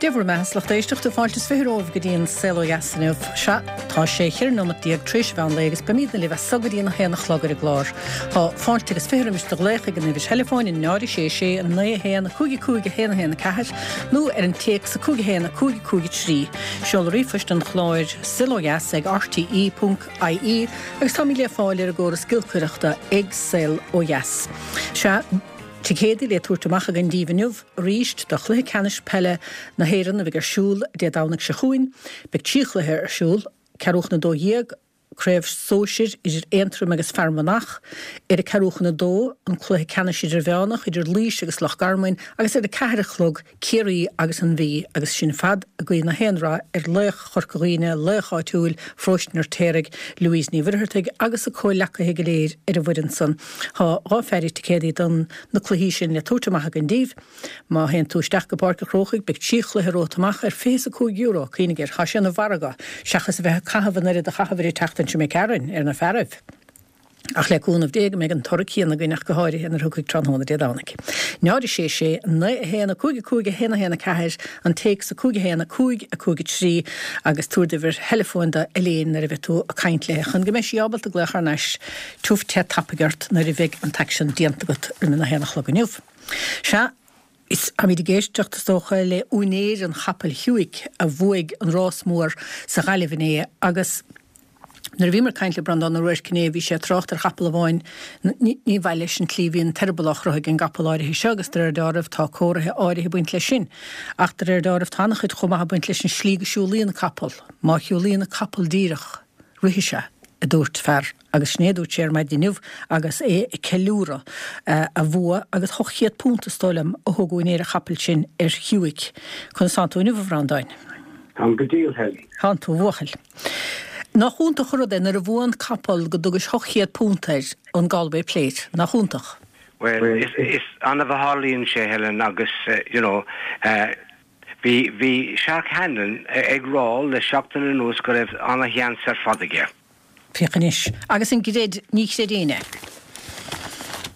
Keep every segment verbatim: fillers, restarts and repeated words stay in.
Dia bhur mbeatha, a lucht éisteachta, fáilte is fiche romhaibh go dtí an Saol Ó Dheas inniu. Sea, tá sé cheithre nóimeat déag tar éis an mheán lae agus beimidne libh as so go dtí an haon a chlog ar an gclár. Tá fáilte agus fiche roimis do ghlaoch ag an uimhir theileafóin náid a sé sé naoi a haon cúig a cúig a haon a haon a ceathair nó ar an téacs a cúig a haon a cúig a cúig a trí. Seol ríomhphost an chláir saolodheas ag rte ponc ie agus táimid le fáil ar an gcóras giolcaireachta ag Saol Ó Dheas. Sea, ticéadaí le tabhairt amach againn daoibh inniu arís do chluiche ceannais peile na hÉireann a bheidh ar siúl Dé Domhnaigh seo chugainn. Beidh trí chluiche ar siúl, ceathrú chun a dó dhéag, craobh sóisir idir Aontroim agus Fear Manach, ar a ceathrú chun a dó, an cluiche ceannais idirmheánach idir Laois agus Loch Garman agus ar a ceathair a chlog, Ciarraí agus an Mhí agus sin ar fad ag guí na haon rath ar laoch Chorca Dhuibhne, laoch áitiúil, Pharóiste an Fheirtéaraigh, Louise Ní Mhuircheartaigh agus a comhleacaithe go léir ar an bhfoireann san. Tá dhá pheidhre ticéadaí don na cluichí sin le tabhairt amach againn daoibh. Má théann tú isteach go Páirc an Chrócaigh beidh trí chluiche romhat amach ar fiche is a cúig euro, cuimhnigh air, tá sé ina mhargadh, seachas a bheith ag caitheamh an oiread a chaitheamar an tseachtain seo imigh tharainn ar na fearaibh. Ach le cúnamh Dé go mbeidh an toradh céanna againn ach go háirithe nuair a thiocfaidh tráthnóna Dé Domhnaigh. Náid a sé sé, naoi a haon, a cúig a cúig, a haon a haon a ceathair, an téacs a cúig a haon, a cúig a cúig a trí agus tabhair d'uimhir theileafóin do Elaine nuair a bheidh tú ag caint léi chun go mbeidh sí ábalta glaoch thar n-ais tiubh te tapaidh ort nuair a bheidh an t-aicsean déanta agat roimh a haon a chlog inniu. Sea, is táimid ag éisteacht is dócha le úinéir an chapaill Hewick a bhuaigh an rás mór sa Ghaillimh inné agus Nuair a bhíomar ag caint le Breandán Ó Ruairc inné bhí sé ag trácht ar chapall amháin, ní mhaith leis an tslí a bhí an t-eireaball á chroitheadh ag an gcapall áirithe seo agus de réir dealraimh tá comharthaithe áirithe ag baint leis sin. Ach de réir dealraimh tá an-chuid chomh maith ag baint leis an slí go siúlaíonn capall. Má shiúlaíonn an capall díreach, rithfidh sé, a dúirt fear agus sin é a dúirt sé ar maidin inniu agus é ag ceiliúradh a bhua agus ocht chéad punt is dóigh liom a thug úinéir an chapaill sin ar Hewick. Conas tánn tú inniu a Bhreandáin? Táim go diail, Helen. Tánn tú, a bhuachaill. Nach iontach an rud é nuair a bhuann capall go dtugais ocht chéad punt air an Galway Plate, nach iontach? Bhuel, is, is annamh a tharlaíonn sé, Helen, agus, you know, bhí, bhí Shark Hanlon ag rá le seachtain anuas go raibh ana-sheans ar fad aige. Féach anois. Agus an gcreid, ní chreid éinne.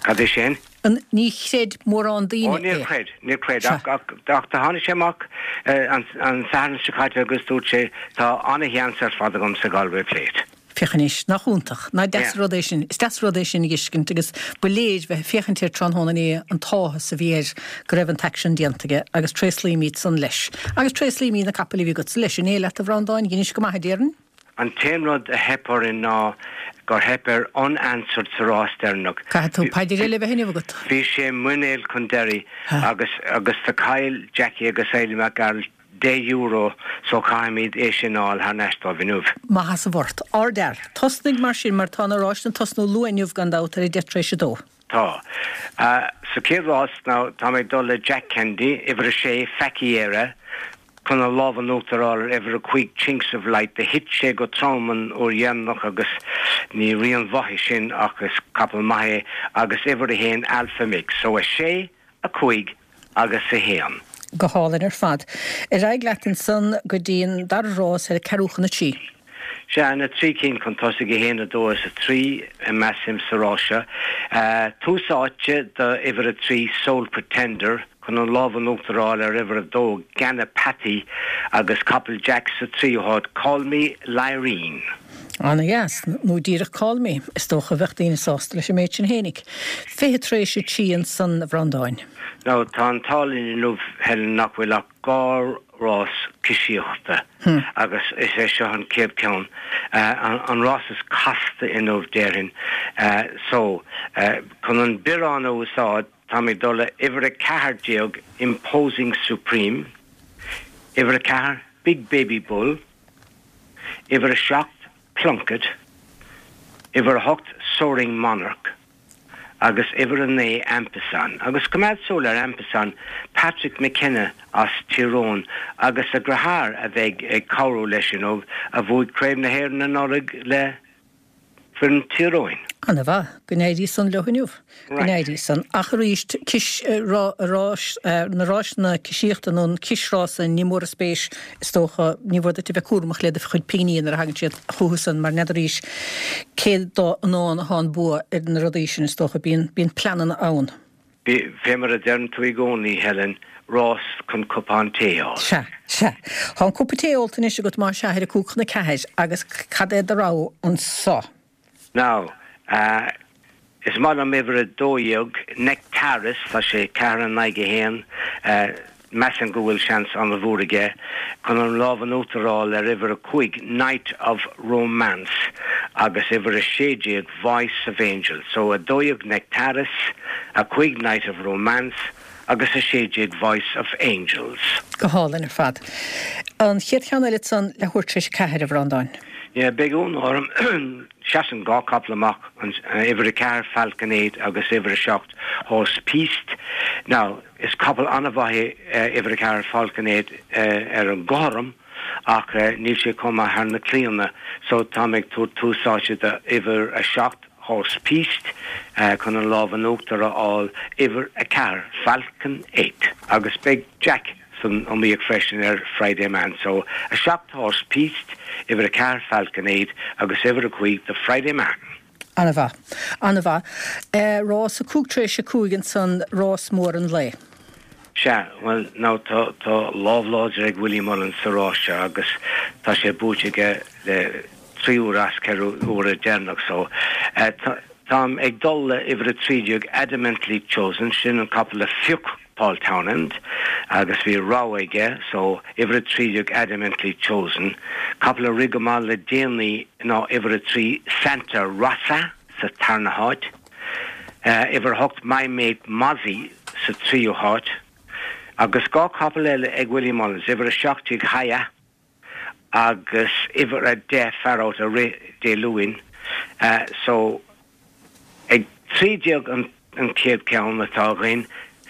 Cad é sin? An, ní chreid mórán daoine Ó, níor é. chreid, níor chreid, Sea. ach, ach, ach do tháinig sé amach an, an Satharn seo caite agus dúirt sé, tá ana-sheans ar fad agam sa Galway Plate. Féach anois, nach iontach, nach deas Yeah. rud é sin, is deas rud é sin a fheiscint agus ba léir bheith ag féachaint air tráthnóna inné an t-áthas a bhí air go raibh an t-aicsean déanta aige agus tréaslaímid san leis. Agus tréaslaímid na capaill a bhí agatsa leis inné leat a Bhreandáin, dheinis go maith a déarfainn. An t-aon rud a theip orainn ná gur theip ar Unanswered sa rás deireanach. Caithfidh tú paidir eile a bheith inniu agat. Bhí sé muinéal chun deiridh agus agus do chaill Jackie agus Eilí Mac Gearailt deich euro so caithfimid é sin a fháil thar n-ais dóibh inniu. Maith as an bhfort. Ardfhear. Tosnaigh mar sin mar tá na ráiseanna ag tosnú luath inniu gan dabht ar a deich tar éis a dó. Tá. Sa chéad rás now tá mé ag dul le Jack Kennedy, uimhir a sé, Faicí Éire, chun an lámh in uachtar a fháil ar uimhir a cúig Chinks of Light. Do thit sé go trom an uair dheireanach agus ní rian mhaith é sin ach is capall maith é agus uimhir a haon Alpha Mix. So a sé, a cúig agus a haon. Go hálainn ar fad. Ar aghaidh leat ansan go dtí an dara rás ar a ceathrú chun a trí. Sea, na trí cinn chun tosaigh, a haon, a dó is a trí, measaim, sa rás seo. Tús áite do uimhir a trí, Sole Pretender, chun an lámh in uachtar a fháil ar uimhir a dó, Ganapathy, agus capall Jack sa tríú háit, Call Me Lyrene. Ana-dheas, nó díreach Call Me, is dócha, bheadh daoine sásta leis an méid sin fhéinig. Fiche tar éis a trí ansan, a Bhreandáin. Now, tá an t-ádh linn inniu, Helen, nach bhfuil ach dhá rás cisíochta agus is é seo an chéad ceann, an rás is casta inniu déarfainn. So, chun an biorán a úsáid, táim ag dul le uimhir a ceathair déag Imposing Supreme, uimhir a ceathair Big Baby Bull, uimhir a seacht Plunkett, uimhir a hocht Soaring Monarch, agus uimhir a naoi Ampesan. Agus coimeád súil ar Ampesan, Patrick McKenna as Tír Eoghain agus a dheartháir a bheidh ag cabhrú leis inniu, a bhuaigh Craobh na hÉireann anuraidh le foireann Tír Eoghain. Ana mhaith. Go n-éirí san leo inniu. Go n-éirí san. Ach arís, cis, rás, na ráiseanna cisíochta nó an cisrása, ní mór a spéis, is dócha, ní mhór duit a bheith cúramach le do chuid pingní nuair a thagann siad chucu san mar n'fheadaraís cé dá in ann atá an bua ar na rudaí sin, is dócha. Bíonn, bíonn pleananna ann. Fé mar a deireann tú i gcónaí, Helen, rás chun cupán tae a ól. Sea, sea. Tá an cúpa tae ólta anois agat más ea ar a cúig chun a ceathair agus cad é do rogha anso? Now, uh, is maith liom uimhir a dó dhéag, Nectaris, tá sé ceathair in aghaidh a haon, uh, measaim go bhfuil seans an-mhór aige chun an lámh in uachtar a fháil ar uimhir a cúig, Night of Romance, agus uimhir a sé déag, Voice of Angels. So a dó dhéag Nectaris, a cúig Night of Romance agus a sé déag Voice of Angels. Go hálainn ar fad. An chéad cheann eile ansan leathuair tar éis a ceathair, a Bhreandáin. Yeah, beidh ionadh orm. Seasann dhá capall amach, an uimhir a ceathair Falcon Eight agus uimhir a seacht Horse Piste. Now, is capall an-mhaith é uimhir a ceathair Falcon Eight ar an gcothrom ach níl sé chomh maith thar na claíonna so táim ag tabhairt tús áite do uimhir a seacht Horse Piste chun an lámh in uachtar a fháil uimhir a ceathair Falcon Eight agus beidh Jack san iomaíocht freisin ar Friday Man. So a seacht Horse Piste, uimhir a ceathair Falcon Eight agus uimhir a cúig do Friday Man. An-mhaith. An-mhaith. Rás a cúig tar éis a cúig ansan rás mór an lae. Sea, bhuel, now tá tá lámh láidir ag Willie Mullins sa rás seo agus tá sé buaite aige le trí uair as ceithre huaire deireanach so táim ag dul le uimhir a trí déag Adamantly Chosen, sin an capall a phioc Paul Townend agus bhí rogha aige so uimhir a trí déag Adamantly Chosen, capall a rith go maith le déanaí ná uimhir a trí Santa Rosa sa tarna háit, uimhir a hocht My Mate Mozzie sa tríú háit, agus dhá capall eile ag Willie Mullins, uimhir a seacht déag Haya agus uimhir a deich Far Out a rith Dé Luain. So ag trí déag an an chéad ceann atá againn,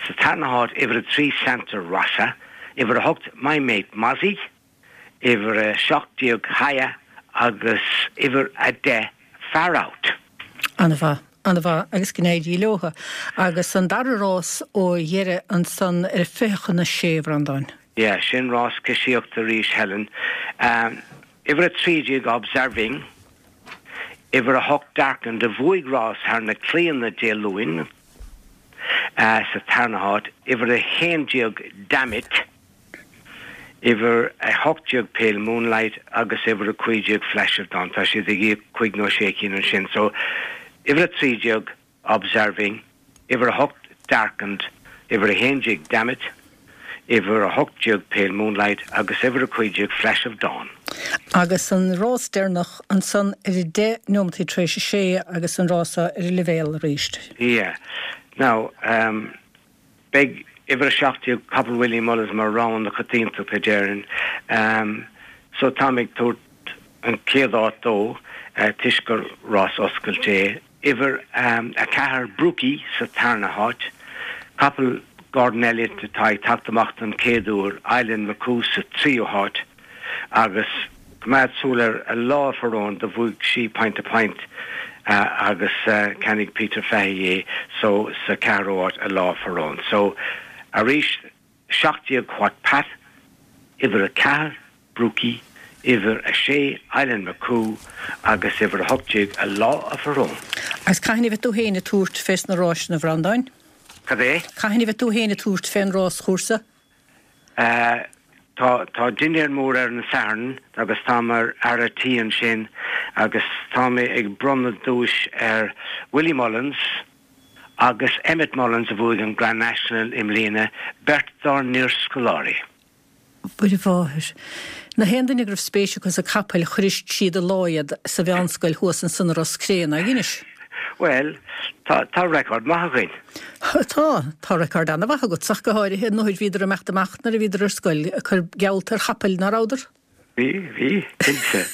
sa tarna háit uimhir a trí Santa Rosa, uimhir a hocht My Mate Mozzie, uimhir a seacht déag Haya agus uimhir a deich Far Out. An-mhaith, an-mhaith agus go n-éirí leo. Agus an dara rás ó dheireadh ansan ar fiche chun a sé, a Bhreandáin. Yeah, sin rás coisíochta arís, Helen. Um, uimhir a trí déag Observing, uimhir a hocht Darkened a bhuaigh rás thar na claíonna Dé Luain sa tarna háit, uimhir a haon déag Dammit, uimhir a hocht déag Pale Moonlight agus uimhir a cúig déag Flash of Dawn. Tá siad ag íoc cúig nó sé cinn ansin. So uimhir a trí déag Observing, uimhir a hocht Darkened, uimhir a haon déag Dammit, uimhir a hocht déag Pale Moonlight agus uimhir a cúig déag Flash of Dawn. Agus an rás deireanach ansan ar a deich nóimeataí tar éis a sé agus an rás ar an leibhéal arís. Yeah. Now, um, beidh uimhir a seacht déag capall Willie Mullins mar rogha na coitiantachta a déarfainn. Um, so táim ag tabhairt an chéad áit dó uh, toisc gur rás oscailte é. Uimhir um, a ceathair Brookie sa tarna háit, capall Gordon Elliott atá ag teacht amach don chéad uair, Island McCoo sa tríú háit agus coimeád súil ar A Law of Her Own do bhuaigh sí point to point uh, agus uh, cheannaigh Peter Fahey é so sa ceathrú háit A Law of Her Own. So arís seacht déag What Pat, uimhir a ceathair Brookie, uimhir a sé Island McCoo agus uimhir a hocht déag A Law of Her Own. Agus cathain a bheidh tú féin ag tabhairt fés na ráis, a Bhreandáin? Cad é? Cathain a bheidh tú féin ag tabhairt fén ráschúrsa? Uh, tá tá dinnéar mór ar an Satharn agus tá mar fhear an tí ansin agus tá mé ag bronnadh duais ar Willie Mullins agus Emmet Mullins a bhuaigh an Grand National i mbliana beirt dár n-iarscoláirí. Mhuire Mháthair. Na haon duine go raibh spéis acu sa capaill chuir siad a lá iad sa mheánscoil thuas ansan i Ros Cré, nach inis? Well, tá tá record maith againn. Tá, tá record an-mhaith agat ach go háirithe nuair bhíodar amach amach nuair a bhíodar ar scoil ag cur geallta ar chapaill nach rabhadar? Bhí, bhí, cinnte.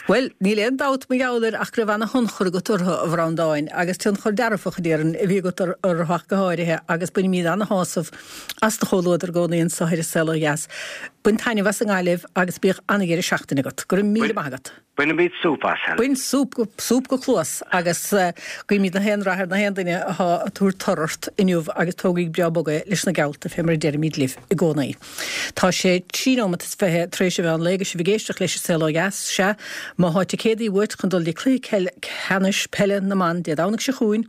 Well, níl aon dabht mar gheall air ach go raibh ana-thionchar agat orthu a Bhreandáin agus tionchar dearfach a déarfainn a bhí agat orthu ach go háirithe agus bainimid ana-shásamh as do chomhluadar i gcónaí anseo ar An Saol Ó Dheas. Bain taitneamh as an nGaillimh agus bíodh an-dheireadh seachtaine agat. Go raibh míle maith agat. Bainimid súp as, Helen. Bain súp go, súp go cluas agus guímid na haon rath ar na haon duine atá ag tabhairt tor ort inniu agus tógaigí breá bog é leis na geallta fé mar a deirimid libh i gcónaí. Tá sé trí nóiméad is fiche tar éis a mheán lae agus sibh ag éisteacht leis An Saol Ó Dheas, sea, má tá ticéadaí uait chun dul go cluiche ceannais peile na mban Dé Domhnaigh seo chugainn,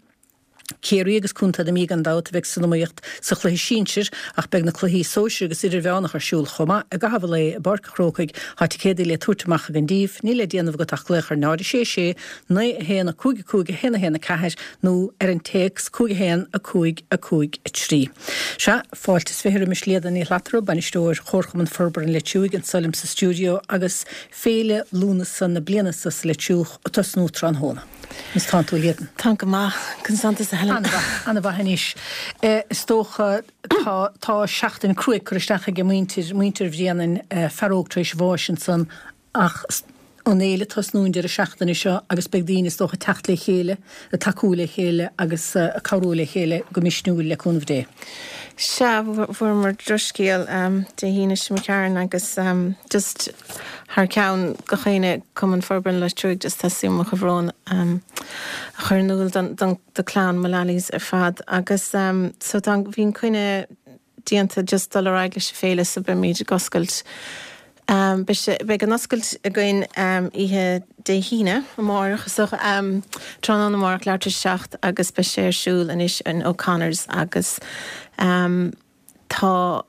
Ciarraí agus Contae na Mí gan dabht a bheidh san iomaíocht sa chluiche sinsir ach beidh na cluichí sóisir agus idirmheánach ar siúl chomh maith i gcaitheamh an lae i bPáirc an Chrócaigh. Tá ticéadaí le tabhairt amach ag an díobh. Níl le déanamh agat ach glaoch ar náid a sé sé, naoi a haon a cúig a cúig a haon a haon a ceathair nó ar an téacs cúig a haon a cúig a cúig a trí. Sea, fáilte is fiche roimis Líadan Ní Shlatara, Bainisteoir Chomharchumann Forbartha an Leitriúigh anseo liom sa stiúideo agus Féile Lúnasa na bliana seo sa Leitriúch ag tosnú tráthnóna. Conas tánn tú, a Líadan? Táim go maith, conas tánn tusa, Helen? An-mhaith, an-mhaith anois. Is dócha tá tá seachtain cruaidh curtha isteach ag muintir, muintir Bhréanainn, fear óg tar éis bháis ansan ach an fhéile ag tosnú an deireadh seachtaine seo agus beidh daoine is dócha ag teacht le chéile, ag tacú le chéile agus ag cabhrú le chéile go misniúil le cúnamh Dé. Sea, fuaireamar drochscéal Dé hAoine seo imigh tharainn agus just thar ceann gach éinne Cumann Forbartha an Leitriúigh just teastaíonn mo chomhbhrón a chur in iúl don don do clann Mullally's ar fad agus so tá bhí an coinne déanta just dul ar aghaidh leis an féile so beimid ag oscailt Beidh sé, beidh an oscailt againn oíche Dé hAoine, amárach, so tráthnóna amárach leathuair tar éis a seacht agus beidh sé ar siúl anois in O'Connor's agus tá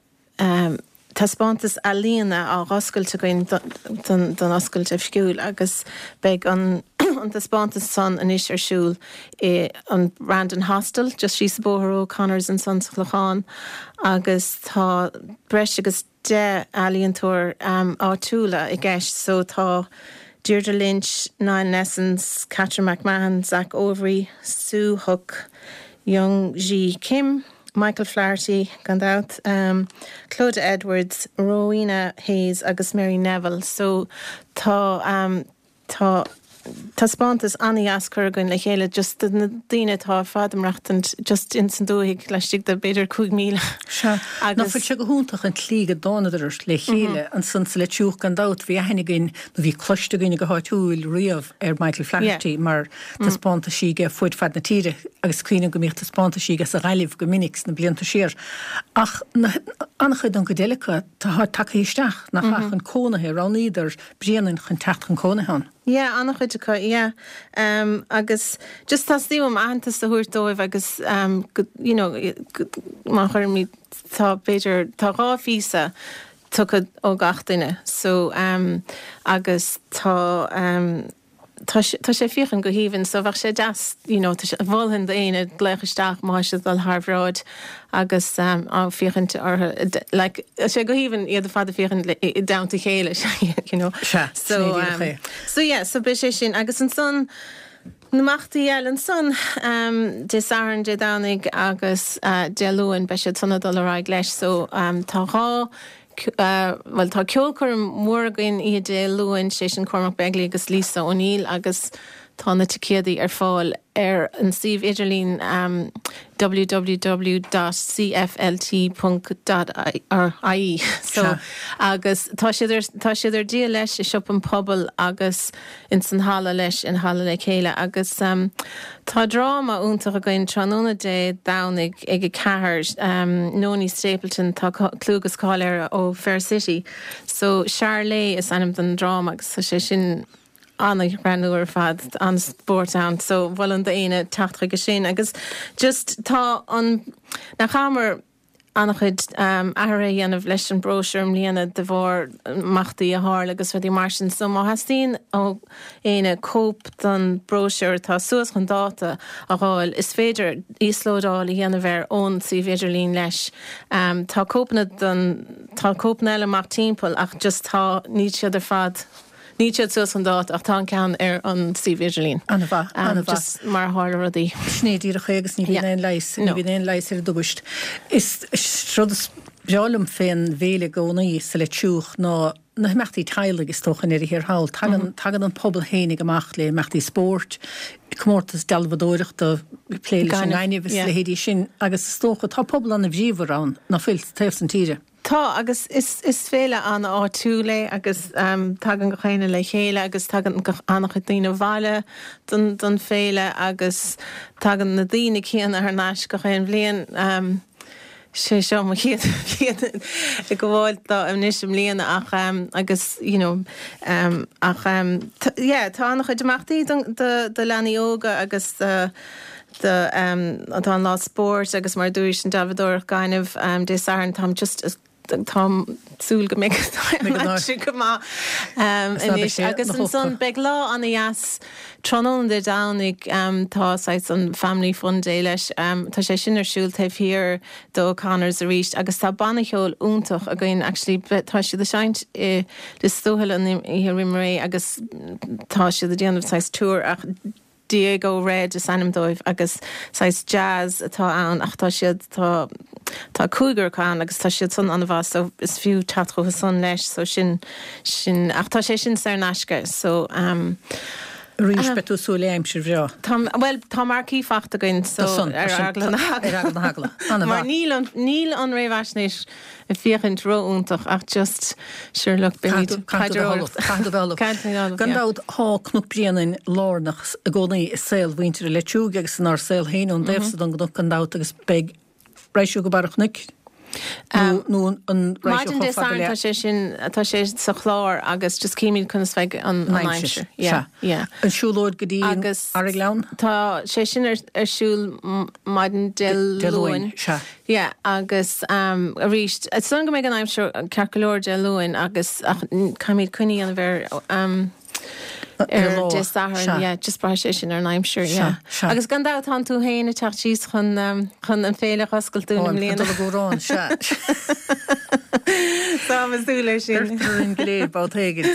taispeántas ealaíona á dh'oscailt againn don don oscailt oifigiúil agus beidh an an taispeántas san anois ar siúl i an Brandon Hostel just síos an bóthar ó O'Connor's ansan sa Chlochán agus tá breis agus deich ealaíontóir áitiúla i gceist so tá Deirdre Lynch, Niall Nessens, Catherine McMahon, Zach Overy, Sue Hook, Young Ji Kim, Michael Flaherty, gan dabht, Clodagh Edwards, Rowena Hayes agus Mary Neville so tá tá taispeántas an-dheas curtha againn le chéile just do na daoine atá ar fad ag maireachtaint just ins an dúthaigh laistigh de b'fhéidir cúig míle. Sea, nach bhfuil sé go hiontach an tslí go dtánadar le chéile ansan sa Leitriúch gan dabht bhí aithne againn nó bhí cloiste againn go háitiúil riamh ar Michael Flaherty mar taispeántaisí aige fud fad na tíre agus cuimhním go mbíodh taispeántaisí aige sa Ghaillimh go minic sna blianta siar. Ach an-chuid den gcuid eile acu tá tagtha isteach nach ea chun cónaithe, roghnaíodar Bréanainn chun teacht chun cónaithe ann. Yeah, an-chuid acu, yeah. Um, agus just teastaíonn uaim aitheantas a thabhairt dóibh agus um, go, you know, go, má chuirimid, tá b'fhéidir, tá dhá phíosa tugtha ó gach duine. So, um, agus tá, um, tá sé, tá sé féachaint go haoibhinn, so bheadh sé deas, you know, tá sé, mholfainn d'éinne glaoch isteach má tá siad ag dul thar bhráid agus um, á féachaint orthu, like, tá sé go haoibhinn iad ar fad ag féachaint le, i dteannta a chéile, you know. Sea, So, sin é díreach um, é. so yeah, so beidh sé sin agus ansan na himeachtaí eile ansan um, Dé Sathairn, Dé Domhnaigh agus uh, Dé Luain beidh siad san ag dul ar aghaidh leis, so um, tá dhá Bhuel, tá ceolchoirm mhór againn oíche Dé Luain, sé sin Cormac Begley agus Lisa O'Neill agus tá na ticéadaí ar fáil ar an suíomh idirlín www dot cflt ponc dot ie. So, agus tá siad ar, tá siad ar díol leis i Siopa an Phobail agus ins an halla leis, in Halla Le Chéile agus tá dráma iontach againn tráthnóna Dé Domhnaigh ag a ceathair, Nonie Stapleton, tá clú agus cáil uirthi ó Fair City. So Charley is ainm don dráma agus tá sé sin an-ghreannmhar ar fad, an-spórt ann. So mholfainn d'éinne teacht chuige sin agus just tá an, nach chaitheamar an-chuid athruithe a dhéanamh leis an bróisiúr i mbliana de bharr imeachtaí a tharla agus rudaí mar sin. So má theastaíonn ó éinne cóip den bróisiúr atá suas chun dáta a fháil, is féidir íoslódáil a dhéanamh air ón suíomh idirlín leis. Tá cóipeanna den, tá cóipeanna eile amach timpeall ach just tá, níl siad ar fad, Níl siad suas chun dáta ach tá an ceann ar an suíomh idirlín. An-mhaith, an-mhaith. Just mar a tharla rudaí. Sin é díreach é agus ní bhíonn aon leigheas, ní bhíonn aon leigheas ar an dtubaist. Is rud is breá liom fén bhféile i gcónaí sa Leitriúch ná na himeachtaí teaghlaigh is dócha i ndeireadh thiar thall. Tagann, tagann an pobal fhéinig amach le imeachtaí spóirt, comórtas dealbhadóireachta, plé leis an ngaineamh is a leithéidí sin agus is dócha tá pobal an-bhríomhar ann, ná fuil, sa taobh san tíre. Tá, agus is is féile an-áitiúil é agus tagann gach éinne le chéile agus tagann an-chuid daoine abhaile don don féile agus tagann na daoine céanna thar n-ais gach aon bhliain. Sé seo mo chéad bhliain ag gabháil dó anois i mbliana ach agus you know ach yeah tá an-chuid imeachtaí do do leanaí óga agus do do tá an lá spóirt agus mar dúirt an dealbhádóireacht gainimh Dé Sathairn táim just táim súil go mbeidh go maith anois agus ansan beidh lá an-deas tráthnóna Dé Domhnaigh tá saghas an Family Fun Day leis tá sé sin ar siúl taobh thiar do O'Connor's arís agus tá banna ceoil iontach againn actually tá siad ag seinnt i Lios Tuathail an oíche roimh ré agus tá siad ag déanamh saghas tour ach Diego Red is ainm dóibh agus saghas jazz atá ann ach tá siad tá tá cúigear acu ann agus tá siad san an-mhaith so is fiú teacht chucu san leis so sin sin ach tá sé sin saor in aisce so um, Arís beidh tú súil le aimsir bhreá. Tá well tá marquee faighte againn so ar eagla na heagla. Mar níl an níl an réamhaisnéis ag féachaint ró-iontach ach just sure look Gan dabht tá Cnoc Bréanainn lárnach i gcónaí i saol mhuintir Leitriúigh agus inár saol féin ón dtaobhsa don gcnoc gan dabht agus beidh raghaidh sibh go barr an chnoic nó an raghaidh Maidin Dé Sathairn tá sé sin tá sé sa chlár agus just címid conas bheidh an aimsir. Yeah, yeah. An siúlóid go dtí Arragleann? Tá sé sin ar, ar siúl maidin Dé Luain. Sea. Yeah, agus um, arís is dóigh go mbeidh an aimsir ceart go leor Dé Luain agus ach caithfimid coinne a dhéanamh ar um, ar Dé Sathairn, yeah, just braithfidh sé sin ar an aimsir, yeah. Agus gan dabht tá tú féin ag teacht síos chun um, chun an féile a oscailt dúinn i mbliana. Dul go sea. Tá mé ag súil leis sin. Deirtear orainn go léir babhta éigin,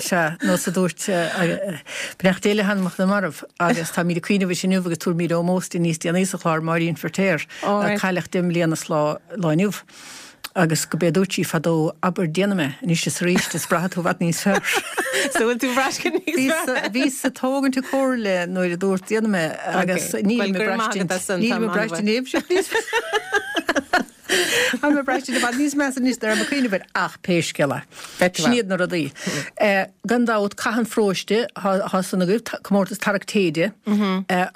sea, nós a dúirt beannacht Dé le hanamacha na marbh agus táimid ag cuimhneamh uirthi inniu agus tabharfaimid ómós di níos déanaí sa chlár Máirín Feirtéar, a cailleadh deich mbliana is lá lá inniu. Agus go b'é a dúirt sí fadó, abair déanfaidh mé, anois is arís is braithfidh tú i bhfad níos fearr. So bhfuil tú ag braistint níos fearr? Bhíos ag tógaint a comhairle nuair a dúirt déanfaidh mé agus nílim ag braistint, nílim ag braistint níos fearr. Táim ag braistint i bhfad níos measa anois ná raibh mé ag cuimhneamh air ach pé scéal é. Sin iad na rudaí. Gan dabht, Cath an Pharóiste, thá san agaibh, comórtas tarrac téide,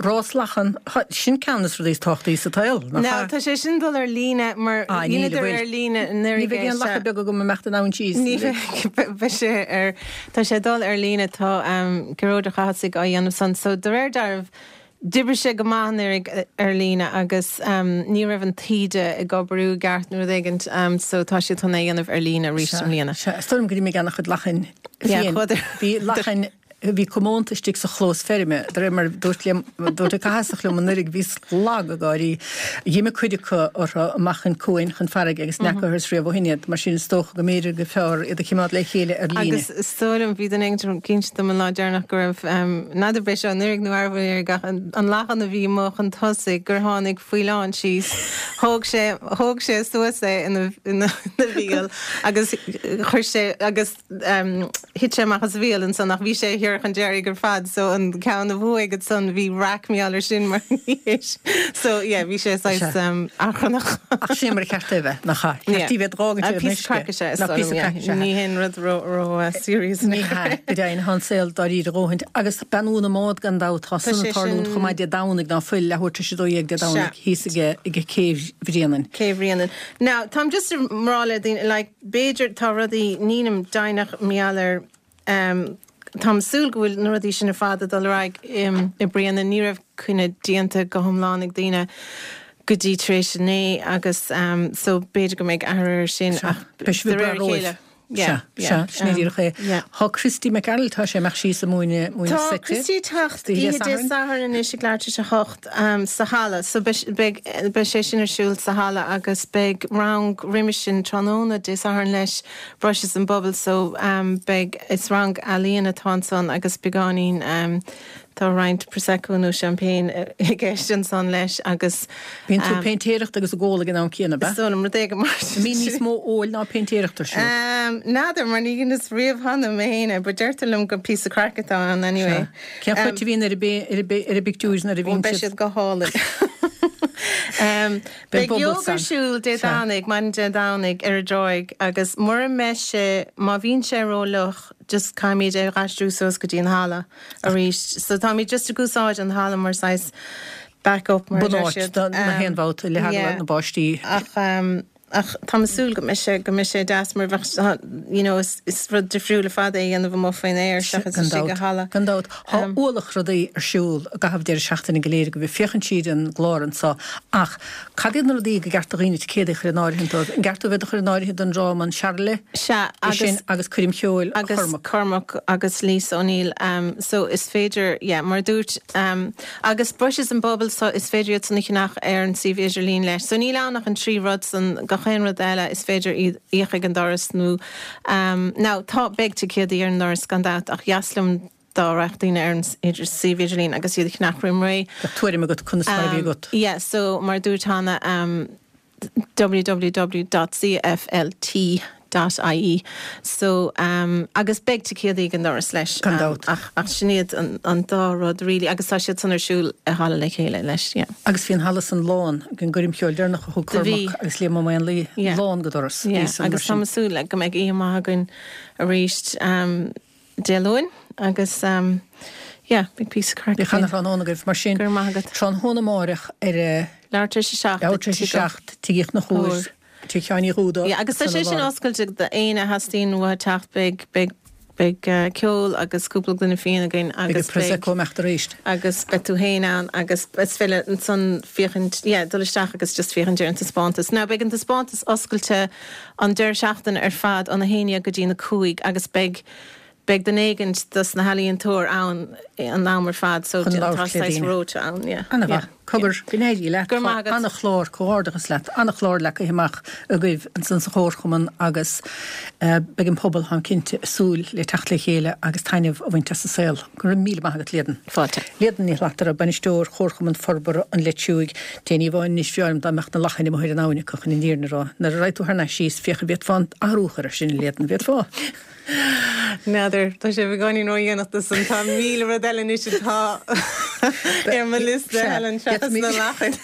rás lachan, sin ceann de na rudaí is tábhachtaí sa tsaol, nach ea? Now, tá sé sin dul ar líne mar dheineadar ar líne anuraidh. Ní bheidh aon lacha beag agam ag imeacht an abhainn síos. Ní bheidh, beidh sé ar, tá sé dul ar líne, tá Gearóid Ó Cathasaigh á dhéanamh san, so de réir dealraimh, D'oibrigh sé go maith anuraidh ar líne agus ní raibh an taoide ag oibriú i gceart nó rud éigin so tá siad chun é a dhéanamh ar líne arís i mbliana. Sea, is dóigh liom go raibh mé ag an-chuid lachain féin. Bhí lachain, bhí comónta istigh sa chlós feirme, de réir mar a dúirt liom, dúirt an Cathasach liom anuraidh, bhíos lag ag gáirí. Dh'imigh cuid acu orthu amach chun cuain, chun farraige agus n'fheacathas riamh ó shin iad, mar sin is dócha go mb'fhéidir gur fearr iad a chimeád le chéile ar líne. Agus is dóigh liom, bhí duine éigin ag inse dom an lá deireanach go raibh, n'fheadar b'é seo anuraidh nó arbh anuraidh ach an lachan a bhí amuigh chun tosaigh gur tháinig faoileán síos, thóg sé, thóg sé suas é ina, ina bhéal agus chuir sé, agus thit sé amach as a bhéal ansan ach bhí sé thiar chun deiridh ar fad so an ceann a bhuaigh ansan bhí raic mar gheall air sin mar so yeah bhí sé saghas achrannach. Ach sin mar a cheart é bheith, nach ea? Ceart í bheith d'fhágaint ar an uisce. Píosa craic is ea is dóigh liom, yeah. Ní haon rud ró ró serious. Ní hea, go deimhin, tá an saol dáiríre a dhóthaint. Agus beannú na mbád gan dabht, tá san ag tarlúint chomh maith Dé Domhnaigh ná fuil, leathuair tar éis a dó dhéag Dé Domhnaigh thíos ag Cé Bhréanainn. Cé Bhréanainn. Now, táim just ag rá le daoine, like, b'fhéidir tá rudaí, nílim deimhneach mar gheall ar, em, táim ag súil go bhfuil na rudaí sin ar fad ag dul ar aghaidh i mbliana, ní raibh coinne déanta go hiomlán ag daoine go dtí tar éis a naoi agus em, so b'fhéidir go mbeidh athrú air sin ach de réir a chéile. Sea, sea, sin é díreach é. Tá Christy McArdle, tá sé ag imeacht síos ag múineadh, múineadh Tá seite. Christy ag teacht oíche Dé Sathairn anois ag leathuair tar éis a hocht sa halla. So beidh, beidh sé sin ar siúl sa halla agus beidh rang roimis sin tráthnóna Dé Sathairn leis, Brushes and Bubbles. So beidh, is rang ealaíon atá ansan agus beagáinín, Tá roinnt Prosecco nó Champagne i gceist ansan leis agus. Bíonn tú ag péintéireacht agus ag ól ag an am céanna, ab ea? Is dóigh liom, rud éigin mar sin. An mbíonn níos mó óil ná péintéireacht ar siúl? N'fheadar, mar ní dheineas riamh cheana mé féin é, but deirtear liom gur píosa craic atá ann anyway. Sea. Cén chruit a bhíonn ar an bpictiúr nuair a bhíonn siad? Beidh siad go hálainn. Beidh ióga ar siúl Dé Domhnaigh, maidin Dé Domhnaigh ar an dtráigh agus mura mbeidh sé, má bhíonn sé ró-fhliuch, just caithfimid é a aistriú suas go dtí an halla arís. So táimid just ag úsáid an halla mar saghas back up mar a deir Bunáit siad. do na haon bhabhta le heagla Yeah. na báistí. Ach um, ach tá súil go mbeidh sé go mbeidh sé deas mar bheadh you know is, is rud difriúil fada é dhéanamh amuigh faoin aer seachas istigh i halla. Gan dabht tá um, ualach rudaí ar siúl i gcaitheamh deireadh seachtaine go léir go bhí féachaint siad an glár anseo ach cad iad na rudaí gur ceart do dhaoine ticéid a chur in áirithe dóibh an gceart dóibh a chur in áirithe don dráma an Searle Sea agus sin agus coirm cheoil agus Chormac. Cormac agus Lisa O'Neill um, so is féidir yeah, mar dúirt um, agus Brushes and Bubbles so is féidir iad san a cheannach ar an suíomh idirlín leis. So níl ann ach an trí rud san gach aon rud eile is féidir iad íoc ag an doras nó um, now tá beidh ticéadaí ar an doras gan dabht ach dheas liom dá rachadh daoine ar an idir suíomh idirlín agus iad a cheannach roimh ré. Tuairim agat conas mar a bhí agat. Yeah, so mar dúirt Hannah um, www.cflt.ie so um, agus beidh ticéadaí ag an doras leis Gan um, dabht. ach, ach sin iad an, an dá rud really agus tá siad san ar siúl i halla le chéile leis yeah. Agus bhí an halla san lán an gcoirm cheoil deireanach a thug Do bhí. Cormac agus Liam Ó Maonlaí Yeah. lán go doras. Yeah, Bhí san agus mar tá sin. súil le go mbeidh oíche mhaith againn arís um, Dé Luain agus um, yeah, big piece of craic. Bhí cheana tráthnóna agaibh mar sin Go raibh maith agat. tráthnóna amárach ar a Leathuair tar éis a seacht. leathuair tar éis a seacht tigh na chuir Tigh Sheáin Uí Dhúda. Yeah, agus tá sé sin oscailte d'aon a theastaíonn uathu teacht beidh beidh beidh uh, ceol agus cúpla gloine fíon againn Agus agus Prosecco mecht arís. agus beidh tú féin ann agus is féidir ansan féachaint yeah, dul isteach agus just féachaint ar an taispeántas. Now beidh an taispeántas oscailte an deireadh seachtaine ar fad ón a haon déag go dtí na cúig agus beidh beidh duine éigin dos na healaíontóirí ann an am ar fad so Chun tá labhairt le saghas daoine. rota ann yeah. Ana yeah. Cogar go n-éirí leat Go raibh maith agat. an-chlár comhghairdeachas leat an-chlár le amach agaibh ansan sa chomharchumann agus uh, beidh an pobal an cinnte súil le teacht le chéile agus taitneamh a bhaint as an saol. Go raibh míle maith agat Líadan. Fáilte. Líadan Ní Shlatara bainisteoir Chomharchumann Forbartha an Leitriúigh Déní bháin níos fiáim dá mecht na lachan i an áine chu in níorna rá. Nuair a raghaidh tú thar n-ais síos féach an bhféadfá athrú a chur sin Líadan bhféadfá. N'fheadar tá sé beagáinín ródhéanach san tá míle rud eile anois atá ar mo liosta Helen seachas na lachain.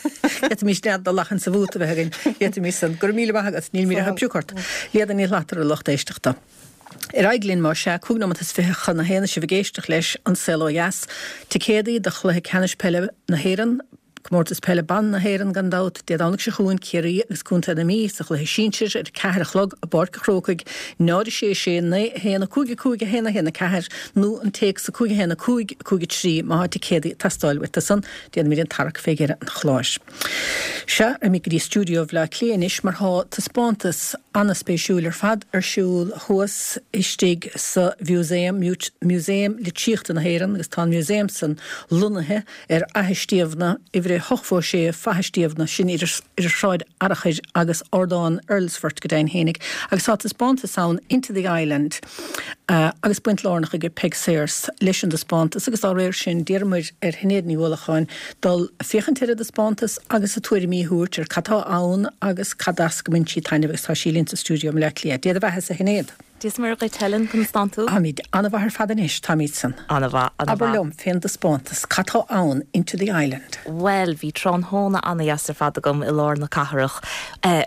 Mí nead do lachan sa bhúta bheith againn, mí san gur míle maith níl mí a púcart. Líadan Ní Shlatara lucht éisteachta. Ar aghaidh linn mar sé cúig nóiméad is fiche chun a haon sibh ag éisteacht leis an saol ó dheas, Ticéadaí do chluiche ceannais peile na hÉireann, Comórtas peile ban na hÉireann gan dabht Dé Domhnaigh seo chugainn Ciarraí agus Contae na Mí sa chluiche sinsir ar ceathair a chlog i bPáirc an Chrócaigh náid sé sé naoi haon cúig cúig haon haon ceathair nó an téacs a cúig haon cúig cúig trí má ticéadaí ag teastáil uait san déanfaimid an tarrac fé dheireadh an chláir. Sea ar mi go dtí stiúideo Bhaile Átha Cliath anois mar tá taispeántas an-spéisiúil ar fad ar siúl thuas istigh sa Mhúsaem Músaem Litríochta na hÉireann agus tá an Museum san lonnaithe ar Fhaiche Stiabhna uimhir hochtó sé Faiche Stiabhna sin idir Sráid Fhearchair agus Ardán Earlsfort go deimhin fhéinig, agus tá taispeántas ann Into the Island uh, agus baint lárnach ag Peig Sayers leis an taispeántas agus dá réir sin d'iarramar ar Shinéad Ní Uallacháin dul féachaint ar an taispeántas agus a tuairimí a thabhairt ar cad atá ann agus cad as go mbaineann sí taitneamh agus tá sí linn sa stiúideo i mBaile Átha Cliath. Dia do bheatha a Shinéad. Dia is Muire dhuit Helen conas tánn tú? Táimid an-mhaith ar fad anois táimid san. An-mhaith Aber liom fén taispeántas cad atá ann Into the Island. Well, bhí tráthnóna an-deas ar fad agam i lár na cathrach. Uh,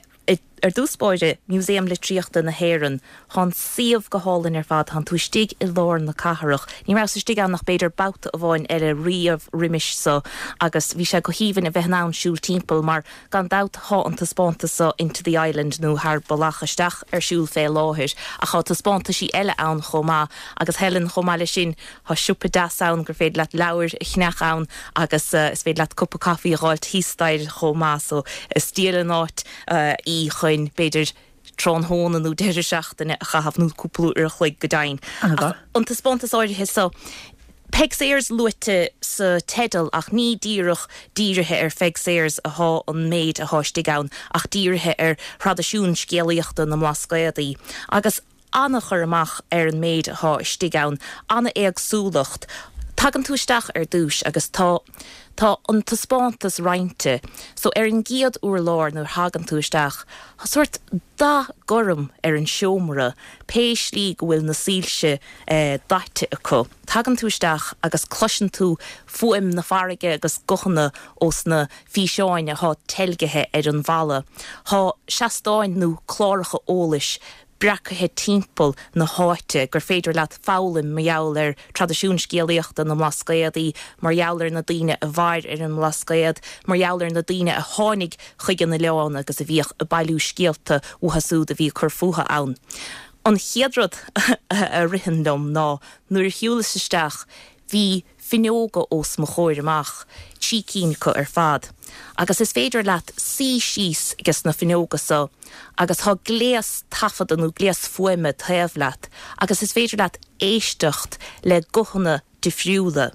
ar dtús báire Museum Litríochta na hÉireann Tá an suíomh go hálainn ar fad tánn tú istigh i lár na cathrach. Ní raibh istigh ann ach b'fhéidir babhta amháin eile riamh roimis so agus bhí sé go haoibhinn a bheith ann siúl timpeall mar gan dabht tá an taispeántas so Into the Island nó thar bealach isteach ar siúl fé láthair ach tá taispeántaisí eile ann chomh maith agus Helen chomh maith leis sin tá siopa deas ann gur féidir leat leabhar a cheannach ann agus uh, is féidir leat cupa caife a fháilt thíos staighre chomh maith so is diail an áit uh, í chun b'fhéidir tráthnóna nó deireadh seachtaine a chaitheamh nó cúpla uair a chloig go deimhin. An taispeántas áirithe so Peig Sayers luaite sa teideal ach ní díreach dírithe ar Pheig Sayers atá an méid atá istigh ann ach dírithe ar thraidisiún scéalaíochta na mBlascaodaí. Agus an-chur amach ar an méid atá istigh ann, an-éagsúlacht. Tagann tú isteach ar dtús agus tá tá an taispeántas roinnte, so ar an gcéad urlár nuair thagann tú isteach, Tá sórt dath gorm ar an seomra, pé slí go bhfuil na soilse eh, daite acu. Tagann tú isteach agus cloiseann tú fuaim na farraige agus guthanna ós na físeáin atá teilgthe ar an bhalla. Tá seastáin nó cláracha eolais breacaithe timpeall na háite gur féidir leat foghlaim mar gheall ar traidisiún scéalaíochta na mBlascaodaí, mar gheall ar na daoine a mhair ar an mBlascaod, mar gheall ar na daoine a tháinig chuig an oileán agus a bhíodh ag bailiú scéalta uathu siúd a bhí ag cur fúthu ann. An chéad rud a ritheann liom ná nuair a shiúlas isteach bhí fuinneoga os mo chomhair amach, trí cinn acu ar fad, agus is féidir leat suí síos ages na fuinneoga so agus tá gléas taifeadta nó gléas fuaime taobh leat agus is féidir leat éisteacht le guthanna difriúla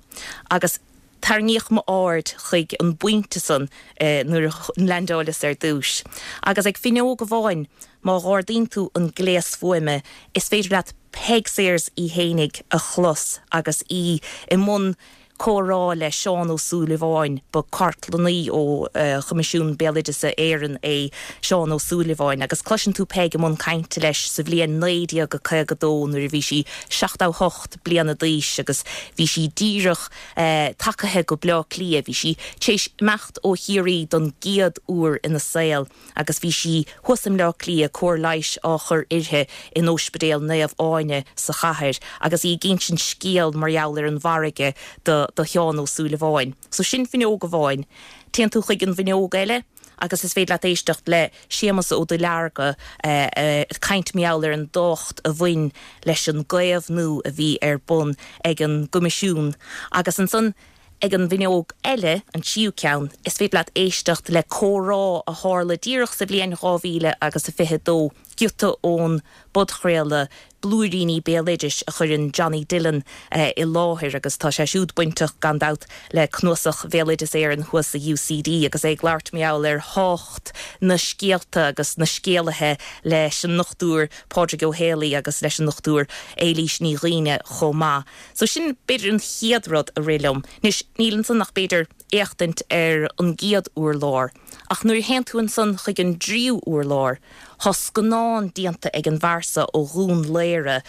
agus tarraingíodh m'aird chuig an bpointe san nuair a leaindeáileas ar dtús. Agus ag fuinneog amháin, má ardaíonn tú an gléas fuaime, is féidir leat Peig Sayers í fhéinig a chlos agus í i mbun comhrá le Seán Ó Súilleabháin. Ba cartlannaí ó Choimisiún Béaloideasa Éireann é Seán Ó Súilleabháin agus cloiseann tú Peig i mbun cainte leis sa bhliain naoi déag caoga dó nuair a bhí sí seachtó hocht bliana d'aois agus bhí sí díreach tagaithe go Bleá Cliath. Bhí sí tar éis imeacht ó Chiarraí don gcéad uair ina saol agus bhí sí thuas i mBleá Cliath, cóir leighis á chur uirthi in Ospidéal Naomh Áine sa chathair agus í ag insint scéal mar gheall ar an bhfarraige do do Sheán Ó Súilleabháin. So sin fuinneog amháin. Téann tú chuig an bhfuinneog eile agus is féidir leat éisteacht le Séamus Ó Duilearga ag caint mar gheall ar an dtábhacht a bhain leis an gcaomhnú a bhí ar bun ag an gCoimisiún agus ansan ag an bhfuinneog eile, an tríú ceann, is féidir leat éisteacht le comhrá a tharla díreach sa bhliain dhá mhíle agus a fiche dó, giota ón bpodchraoladh Blúiríní Béaloidis a chuireann Johnny Dillon i láthair agus tá sé siúd bainteach gan dabht le Cnuasach Bhéaloideas Éireann thuas sa UCD agus é ag labhairt mar gheall ar thábhacht na scéalta agus na scéalaithe leis an nDochtúir Pádraig Ó Héalaí agus leis an nDochtúir Éilís Ní Dhuibhne chomh maith. So sin b'fhéidir an chéad rud a rith liom. Anois níl ansan ach b'fhéidir éachtaint ar an gcéad urlár, ach nuair a théann tú ansan chuig an dtríú urlár, tá scannán déanta ag an bhfear so ó Dhún Laoghaire,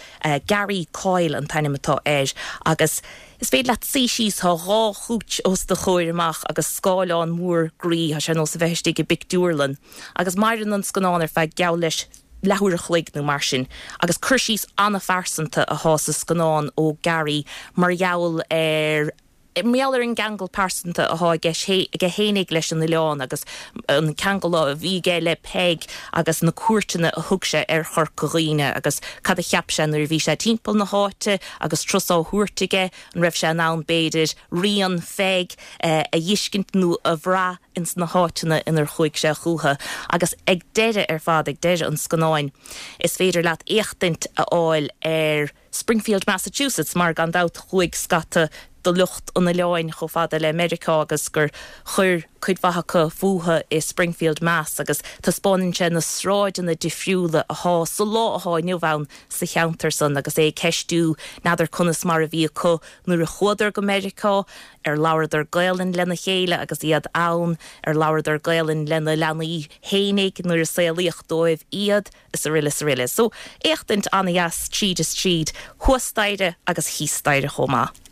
Gary Coyle an t-ainm atá air, agus is féidir leat suí síos, tá dhá chúits os do chomhair amach agus scáileán mór groí, tá sé ar nós a bheith istigh i bpictiúrlann, agus maireann an scannán ar feadh geall leis leathuair a chloig nó mar sin, agus cur síos an-phearsanta atá sa scannán ó Gary mar gheall ar mar gheall ar an gceangal pearsanta atá aige aige fhéinig leis an oileán agus an ceangal a bhí aige le Peig agus na cuairteanna a thug sé ar Chorca Dhuibhne agus cad a cheap sé nuair a bhí sé timpeall na háite agus turas á thabhairt aige, an raibh sé in ann b'fhéidir rian Pheig a fheiscint nó a bhrath ins na háiteanna inar chuaigh sé chucu. Agus ag deireadh ar fad, ag deireadh an scannáin, is féidir leat éachtaint a fháil ar Springfield, Massachusetts, mar gan dabht chuaigh scata de lucht an oileáin chomh fada le Meiriceá agus gur chuir cuid mhaith acu fúthu i Springfield, Mass agus taispeánann sé na sráideanna difriúla atá sa lá atá inniu ann sa cheantar san agus é ag ceistiú n'fheadar conas mar a bhí acu nuair a chuadar go Meiriceá, ar labhradar Gaelainn lena chéile agus iad ann, ar labhradar Gaelainn lena leanaí fhéinig nuair a saolaíodh dóibh iad, is araile is araile. So éachtaint an-dheas tríd is tríd, thuas staighre agus thíos staighre chomh maith.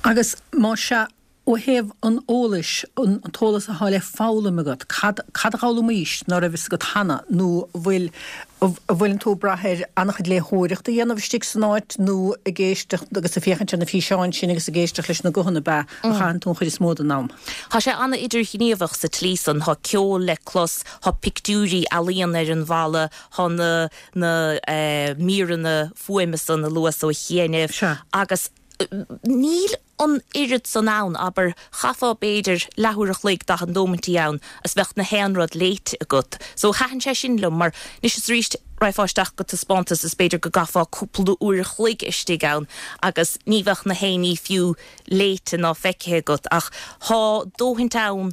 Agus má sea, ó thaobh an eolais, an t-eolas atá le foghlaim agat, cad cad a d'fhoghlaimís ná raibh fhios agat cheana nó bhfuil bhfuileann tú ag brath ar an-chuid léitheoireachta a dhéanamh istigh san áit nó ag éisteacht agus ag féachaint ar na físeáin sin agus ag éisteacht leis na guthanna ab ea a chaitheann tú an chuid is mó den am? Tá sé an-idirghníomhach sa tslí san, tá ceol le clos, tá pictiúirí ealaíon ar an bhalla, tá na na eh, míreanna fuaime san a luas ó chianaibh agus níl an oiread san ann, abair, chaithfeá b'fhéidir leathuair a chloig, daichead nóimintí ann is bheadh na haon rud léite agat. So thaitin sé sin liom mar anois is arís raghfá isteach go taispeántas is b'fhéidir go gcaithfeá cúpla uair a chloig istigh ann agus ní bheadh na haon ní fiú léite ná feicthe agat ach tá dóthaint ann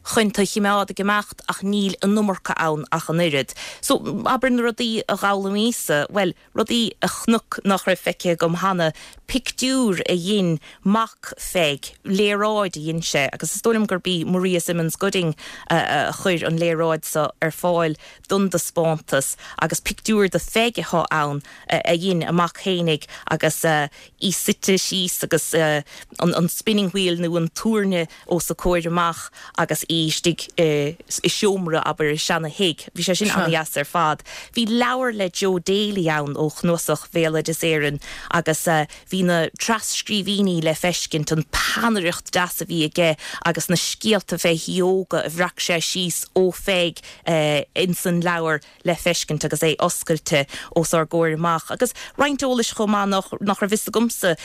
chun tú a chimeád ag imeacht ach níl an iomarca ann ach an oiread. So abair na rudaí a d'fhoghlaimíos-sa, bhuel, rudaí a chonac nach raibh feicthe agam cheana, pictiúr a dhein mac Pheig, léaráid a dhein sé agus is dóigh liom gurb í Maria Simmons Gooding a chuir an léaráid seo ar fáil don taispeántas agus pictiúr de Pheig atá ann a dhein a mac fhéinig agus í suite síos agus an an spinning wheel nó an tuairne os a comhair amach agus í bhí istigh i seomra abair i seana-thigh. Bhí sé sin an-deas ar fad. Bhí leabhar le Joe Daly ann ó Chnuasach Bhéaloideas Éireann agus bhí na tras-scríbhinní le feiscint, an peannaireacht deas a bhí aige agus na scéalta fé shióga a bhreac sé síos ó Pheig ins an leabhar le feiscint agus é oscailte os ár gcomhair amach. Agus roinnt eolais chomh maith nach nach raibh fhios agamsa,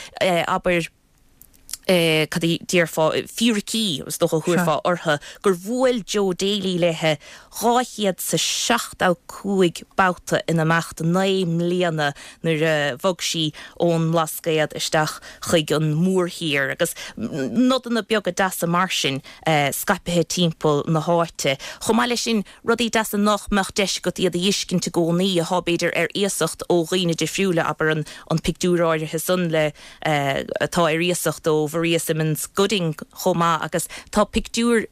abair, cad a déarfá, fíricí, is dócha a thabharfá orthu, gur bhuail Joe Daly léithe dhá chéad 's a seachtó cúig babhta in imeacht naoi mbliana nuair a bhog sí ón mBlascaod isteach chuig an mórthír agus nodanna beaga deasa mar sin scaipthe timpeall na háite. Chomh maith leis sin, rudaí deasa nach mbeadh deis agat iad a fheiscint i gcónaí, atá b'fhéidir ar iasacht ó dhaoine difriúla, abair an an pictiúr áirithe san le atá ar iasacht ó Mharia Simmons Gooding chomh maith agus tá pictiúr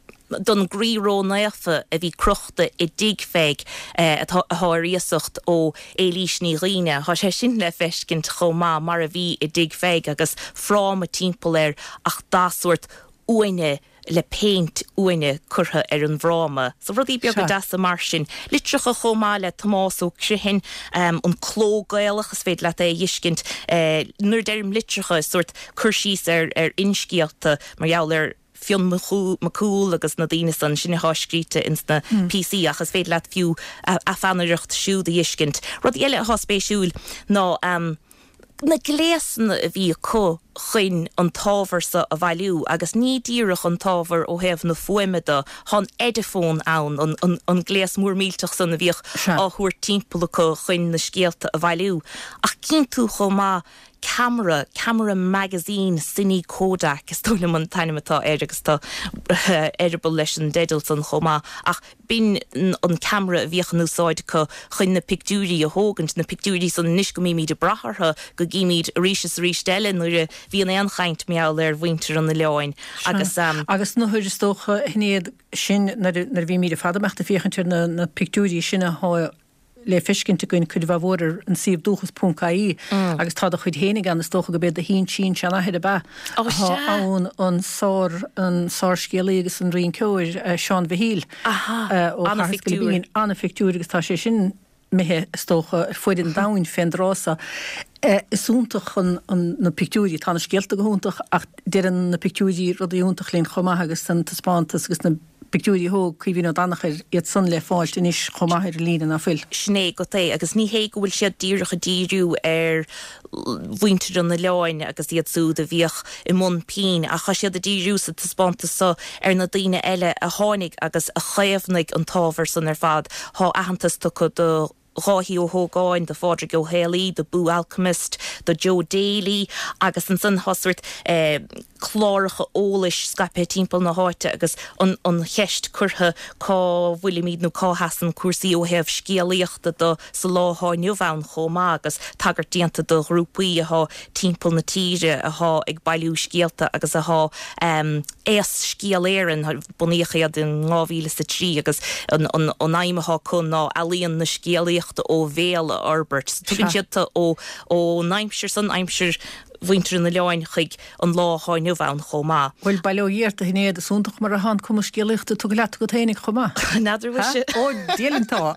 don gCroí Ró-Naofa a bhí crochta i dtigh Pheig atá ar iasacht ó Éilís Ní Dhuibhne. Tá sé sin le feiscint chomh maith mar a bhí i dtigh Pheig agus fráma timpeall air ach dath sórt uaine le péint uaine curtha ar an bhfráma. So rudaí beaga deasa mar sin. Litreacha chomh maith le Tomás Ó Criomhthain, an cló Gaelach, is féidir leat é a fheiscint. Nuair a deirim litreacha, is sórt cur síos ar ar fhinscéalta mar gheall ar Fionn Mac Cumhaill agus na daoine san, sin atá scríte ins na píosaí ach is féidir leat fiú a pheannaireacht siúd a fheiscint. Rudaí eile atá spéisiúil ná na gléasanna a bhí acu chun an t-ábhar so a bhailiú agus ní díreach an t-ábhar ó thaobh na fuaime de, tá an Ediphone ann, an, an, an gléas mór millteach san a bhíodh á thabhairt timpeall acu chun na scéalta a bhailiú. Ach cíonn tú chomh maith ceamara, ceamara magazine Cine Kodak is dóigh liom an t-ainm atá air agus tá eireaball leis an dteideal san chomh maith ach b'in an ceamara a bhíodh in úsáid acu chun na pictiúirí a thógaint, na pictiúirí san anois go mbímid ag brath orthu, go gcímid arís is arís eile nuair a bhíonn aon chaint mar gheall ar mhuintir an oileáin agus. Agus na huair is dócha a Shinéad sin nuair a bhímid ar fad ag imeacht ag féachaint ar na pictiúirí sin atá le feiscint againn cuid mhaith mhór ar an suíomh dúchas ponc ie agus tá do chuid fhéinig ann, is dócha go b'é do shin-sin-seanathair ab ea atá ann, an sár, an sárscéalaí agus an rinceoir Seán Mhichíl ó Chathair Scoil Ana-phictiúr agus tá sé sin imithe is dócha ar fuaid an domhain fén dtráth so. Is iontach an, na pictiúirí, tá na scéalta go hiontach ach deireann na pictiúirí rudaí iontach linn chomh maith agus an taispeántas agus na pictiúirí a thóg Caoimhín Ó Danachair, iad san le fáilt anois chomh maith ar líne, ná fuil? Sin é agat é, agus ní hé go bhfuil siad díreach ag díriú ar mhuintir an oileáin agus iad súd a bhíodh i mbun pinn, ach tá siad ag díriú sa taispeántas so ar na daoine eile a tháinig agus a chaomhnaigh an t-ábhar san ar fad. Tá aitheantas tugtha do Dháithí Ó hÓgáin, do Phádraig Ó Héalaí, do Boo Alchemist, do Joe Daly agus ansan tá sórt cláracha eolais scaipthe timpeall na háite agus an an cheist curtha cá bhfuilimid nó cá sheasann cúrsaí ó thaobh scéalaíochta de sa lá atá inniu ann chomh maith agus tagairt déanta do ghrúpaí athá timpeall na tíre athá ag bailiú scéalta agus athá Aos Scéal Éireann, bunaíodh iad in dhá mhíle is a trí agus an aidhm athá acu ná ealaíon na scéalaíochta ó bhéal a fhorbairt. So tugann siad tú ó ón aimsir san, aimsir mhuintir an oileáin chuig an lá athá inniu ann chomh maith. Bhuel, bail ó Dhia ort a Shinéad, is iontach mar athá an cumas scéalaíochta tugtha leat agat fhéinig chomh maith. N'fheadar an bhfuil sé. Ó, Dia linn tá.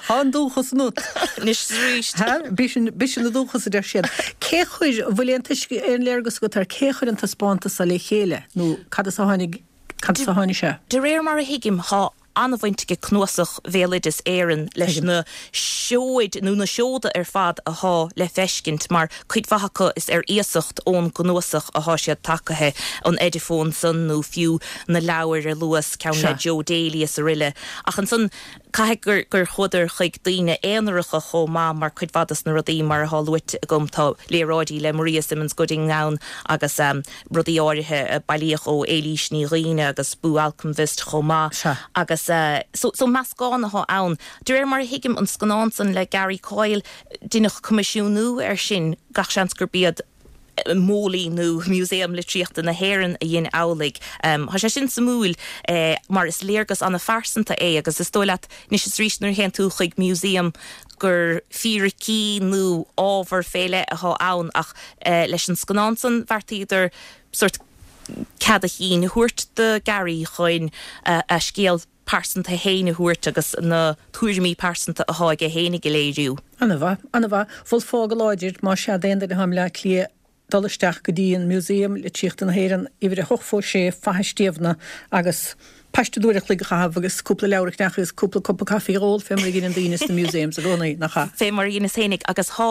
Tá an dúchas ionat. Anois is arís. B'shin, b'shin an dúchas a deir siad. Cé chuir, an bhfuil aon tuisc, aon léargas agat ar cé chuir an taispeántas seo le chéile nó cad as a tháinig, cad as a tháinig sé? De réir mar a thuigim, tá an-bhaint ag Cnuasach Bhéaloideas Éireann leis na seoid nó na seoda ar fad athá le feiscint mar cuid mhaith acu is ar iasacht ón gcnuasach athá siad tacaithe, an Ediphone san nó fiú na leabhair a luas, ceann le Joe Daly is aroile. Ach ansan caithfidh gur gur chuadar chuig daoine aonaracha chomh maith mar cuid mhaith dos na rudaí mar athá luaite agam tá léaráidí le Maria Simmons Gooding ann agus rudaí áirithe a bailíodh ó Éilís Ní Dhuibhne agus Boo Alchemist chomh maith agus so so meascán athá ann. De réir mar a thuigim an scannán san le Gary Coyle deineadh coimisiúnú air sin gach seans gurb iad MoLI nó Músaem Litríochta na hÉireann a dhein amhlaidh. Tá sé sin suimiúil mar is léargas an-phearsanta é agus is dóigh leat anois is arís nuair a théann tú chuig museum gur fíricí nó ábhar fé leith athá ann ach leis an scannán san bheartaíodar sórt cead a chinn a thabhairt do Gary chun a scéal pearsanta féin a thabhairt agus na tuairimí pearsanta atá aige féinig a léiriú. An-mhaith, an-mhaith. Mholfá go láidir má sea d'aon duine atá i mBleá Cliath dul isteach go dtí an Museum Litríochta na hÉireann, uimhir a hocht fó sé, Faiche Stiabhna agus paiste d'uair a chloig a chaitheamh agus cúpla leabhar a cheannach agus cúpla cupa caife a dh'ól fé mar a dheineann daoine sna museums i gcónaí, nach ea? Fé mar a dheineas féinig agus thá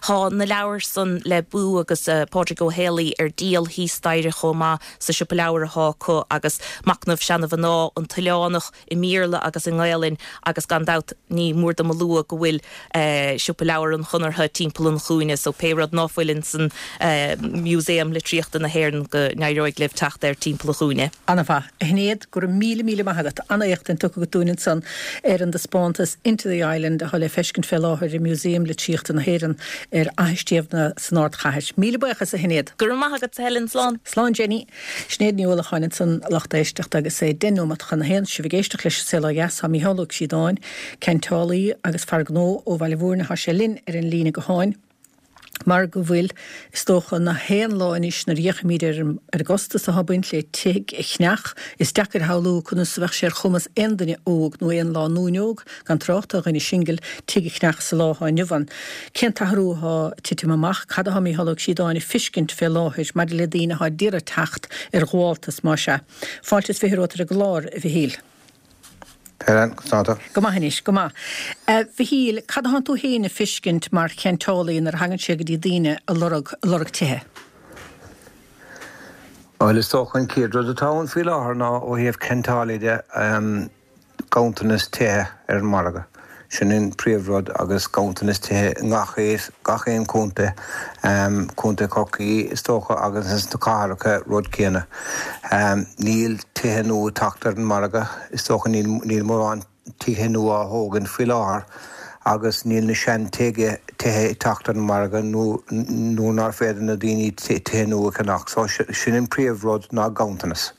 thá na leabhair san le Boo agus Pádraig Ó Héalaí ar díol thíos staighre chomh maith sa siopa leabhar athá acu agus Machnamh Seana-Mhná, An tOileánach i mBéarla agus i nGaelainn agus gan dabht ní mór dom a lua go bhfuil Siopa Leabhar an Chonartha timpeall an chúinne so pé rud ná fuil insan Museum Litríochta na hÉireann go n-éireoidh libh teacht air timpeall an chúinne. Ana-mhaith. A Shinéad, go raibh míle míle maith agat. An-éachtaint tugtha agat dúinn ansan ar an dtaispeántas Into the Island atá le feiscint fé láthair i Museum Litríochta na hÉireann ar Fhaiche Stiabhna san ardchathair. Míle buíochas, a Shinéad. Go raibh maith agat, a Helen. Slán. Slán, Jenny. Sinéad Ní Uallacháin ansan, a lucht éisteachta, agus é deich nóimeat chun a haon. Sibh ag éisteacht leis an Saol Ó Dheas. Tá Mícheál Ó Críodáin, ceantálaí agus fear gnó ó Bhaile Mhúirne, tá sé linn ar an líne gutháin. Mar go bhfuil, is dócha, na haon lá anois nuair a fhéachaimid ar an ar an gcostas atá ag baint le tigh a cheannach, is deacair a shamhlú conas a bheadh sé ar chumas aon duine óg nó aon lánúin óg, gan trácht ar dhuine singil, tigh a cheannach sa lá atá inniu ann. Cén t-athrú atá ag titim amach? Cad atá Mícheál Ó Críodáin ag fiscint fé láthair maidir le daoine atá d'iarraidh teacht ar ghabháltas, más ea? Fáilte is fiche romhat ar an gclár, a Mhichíl. Helen, conas tá tú? Go maith anois, go maith. A Mhichíl, cad atánn tú féin ag fiscint mar cheantálaí nuair a thagann sé go dtí daoine a lorg, a lorg tithe? Bhuel, is dócha an chéad rud atá ann faoi láthair ná ó thaobh ceantálaí de, ganntanas tithe ar an margadh. Sin an príomhrud agus ganntanas tithe i ngach gach aon chontae, Contae Chorcaí is dócha agus ins na cathracha rud céanna. Níl tithe nua ag teacht ar an margadh, is dócha níl níl mórán tithe nua á thógaint faoi láthair agus níl na sean tithe ag teacht ar an margadh nó nó nár féidir na daoine tithe nua a cheannach. So sin an príomhrud ná ganntanas.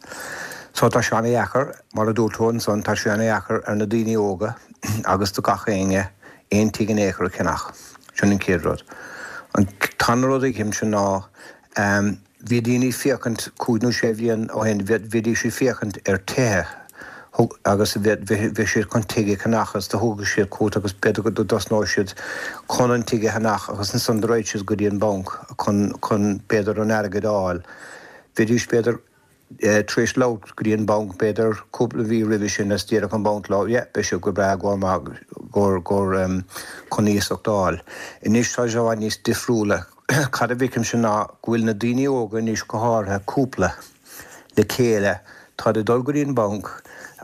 So tá sé ana-dheacair, mar a dúirt tú ansan, tá sé ana-dheacair ar na daoine óga agus do gach éinne aon tigh in aon chor a cheannach. Sin an chéad rud. An tarna rud a fheicimse ná bhí daoine ag féachaint cúig nó sé bhliain ó shin, bhídís ag féachaint ar tithe agus bhí siad chun tigh a cheannach agus do thugadh siad cuairt agus b'fhéidir go dtosnódh siad chun an tigh a cheannach agus ansan do raghaidh siad go dtí an banc chun chun b'fhéidir an airgead a fháil. Bhídís b'fhéidir tar éis labhairt go dtí an banc b'fhéidir cúpla mhí roimhe sin is déarfadh an banc leo yeah beidh sibh go breá go maith gur gur chun iasacht a fháil. Anois tá sé i bhfad níos difriúla. Cad a bhfeicimse ná go bhfuil na daoine óga anois go háirithe cúpla le chéile táid ag dul go dtí an banc